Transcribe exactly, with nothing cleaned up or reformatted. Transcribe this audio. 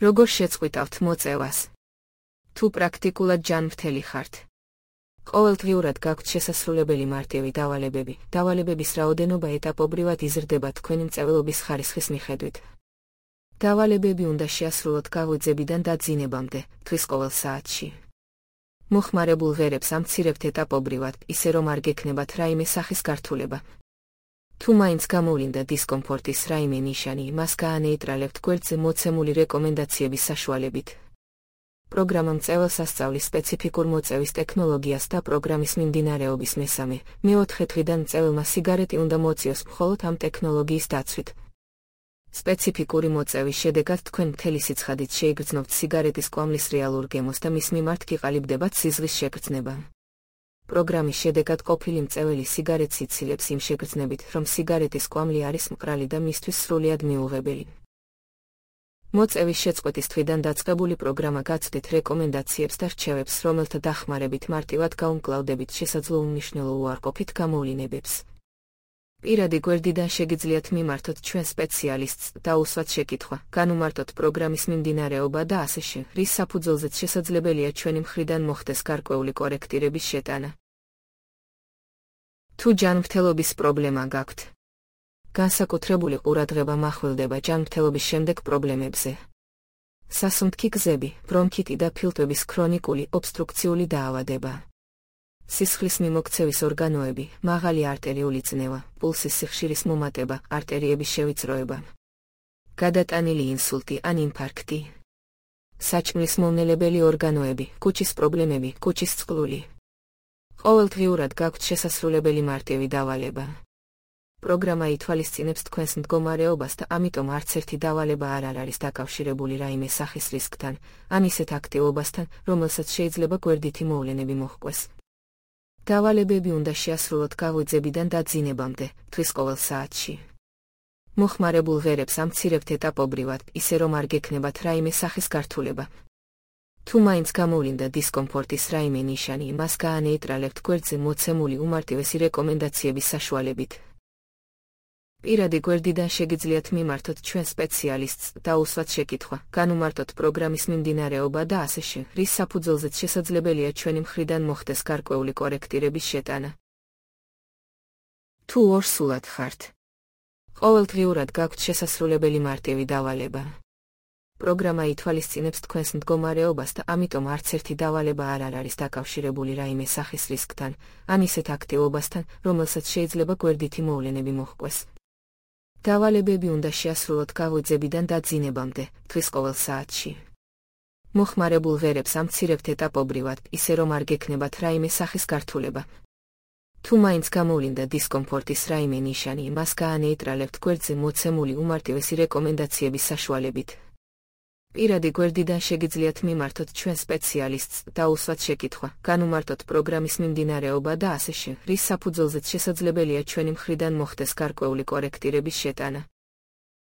როგორ შეწყვიტავთ მოწევას? თუ პრაქტიკულად ჯანმრთელი ხართ. ყოველდღიურად გაქვთ შესასრულებელი მარტივი დავალებები. დავალებების რაოდენობა ეტაპობრივად იზრდება თქვენი მწვერვალობის ხარისხის მიხედვით. დავალებები უნდა შეასრულოთ გაღვიძებიდან დაძინებამდე, თვის ყოველ საათში. მოხმარებულ ღერებს ამცირებთ ეტაპობრივად, ისე რომ არ გექნებათ რაიმე სახის გართულება. თუ მაინც გამოვლინდა დისკომფორტის რაიმე ნიშანი, მას გაანეიტრალებთ გვერდზე მოცემული რეკომენდაციების საშუალებით. პროგრამა მწვერვალს ასწავლის სპეციფიკურ მოწევის ტექნოლოგიას და პროგრამის მიმდინარეობის მესამე, მეოთხე დღიდან მწვერვალმა სიგარეტი უნდა მოწიოს მხოლოდ ამ ტექნოლოგიის დაცვით. სპეციფიკური მოწევის შედეგად თქვენ მთელი სიცხადით შეიგრძნობთ სიგარეტის კვამლის რეალურ გემოს და მის მიმართ გიყალიბდებათ სიზღვის შეგრძნება. პროგრამის შედეგად ყოფილი მწვერვალი სიგარეტს იცილებს იმ შეგრძნებით, რომ სიგარეტის კვამლი არის მყრალი და მისთვის სრულიად მიუღებელი. მოწევის შეწყვეტის თვიდან დაწყებული პროგრამა გაცდით რეკომენდაციებს და რჩევებს, რომელთა დახმარებით მარტივად გაუმკლავდებით შესაძლო უმნიშვნელო უარყოფით გამოვლინებებს. პირადი გვერდიდან შეგიძლიათ მიმართოთ ჩვენ სპეციალისტს და უსვათ შეკითხვა, განუმარტოთ პროგრამის მიმდინარეობა და ასე შემდეგ, რის საფუძველზეც შესაძლებელია ჩვენი მხრიდან მოხდეს გარკვეული კორექტირების შეტანა. თუ ჯანმრთელობის პრობლემა გაქვთ. განსაკუთრებული ყურადღება მახვილდება ჯანმრთელობის შემდეგ პრობლემებზე. სასუნთქი გზები, ბრონქიტი და ფილტვების ქრონიკული ობსტრუქციული დაავადება. სისხლის მიმოქცევის ორგანოები, მაღალი არტერიული წნევა, პულსის სიხშირის მომატება, არტერიების შევიწროება. გადატანილი ინსულტი ან ინფარქტი. საჭმლის მომნელებელი ორგანოები, კუჭის პრობლემები, კუჭის წყლული. ყოველდღიურად გაქვთ შესასრულებელი მარტივი დავალება. პროგრამა ითვალისწინებს თქვენს მდგომარეობას და ამიტომ არც ერთი დავალება არ არის დაკავშირებული რაიმე სახის რისკთან, ან ისეთ აქტივობასთან, რომელსაც შეიძლება გვერდითი მოვლენები მოჰყვეს. დავალებები უნდა შეასრულოთ გაღვიძებიდან დაძინებამდე, თვის ყოველ საათში. მოხმარებულ ღერებს ამცირებთ ეტაპობრივად, ისე რომ არ გექნებათ რაიმე სახის გართულება. თუ მაინც გამოვლინდა დისკომფორტის რაიმე ნიშანი, მას გაანეიტრალებთ გვერდზე მოცემული უმარტივესი რეკომენდაციების საშუალებით. პირადი გვერდიდან შეგიძლიათ მიმართოთ ჩვენ სპეციალისტს და უსვათ შეკითხვა, განუმარტოთ პროგრამის მიმდინარეობა და ასე შემდეგ, რის საფუძველზეც შესაძლებელია ჩვენი მხრიდან მოხდეს გარკვეული კორექტირების შეტანა. თუ ორსულად ხართ. ყოველდღიურად გაქვთ შესასრულებელი მარტივი დავალება. პროგრამა ითვალისწინებს თქვენს მდგომარეობას და ამიტომ არც ერთი დავალება არ არის დაკავშირებული რაიმე სახის რისკთან, ან ისეთ აქტივობასთან, რომელსაც შეიძლება გვერდითი მოვლენები მოჰყვეს. დავალებები უნდა შეასრულოთ გაღვიძებიდან დაძინებამდე, თვის ყოველ საათში. მოხმარებულ ღერებს ამცირებთ ეტაპობრივად, ისე რომ არ გექნებათ რაიმე სახის გართულება. თუ მაინც გამოვლინდა დისკომფორტის რაიმე ნიშანი, მას გაანეიტრალებთ გვერდზე მოცემული უმარტივესი რეკომენდაციების საშუალებით. პირადი გვერდიდან შეგიძლიათ მიმართოთ ჩვენ სპეციალისტს და უსვათ შეკითხვა, განუმარტოთ პროგრამის მიმდინარეობა და ასე შემდეგ, რის საფუძველზეც შესაძლებელია ჩვენი მხრიდან მოხდეს გარკვეული კორექტირების შეტანა.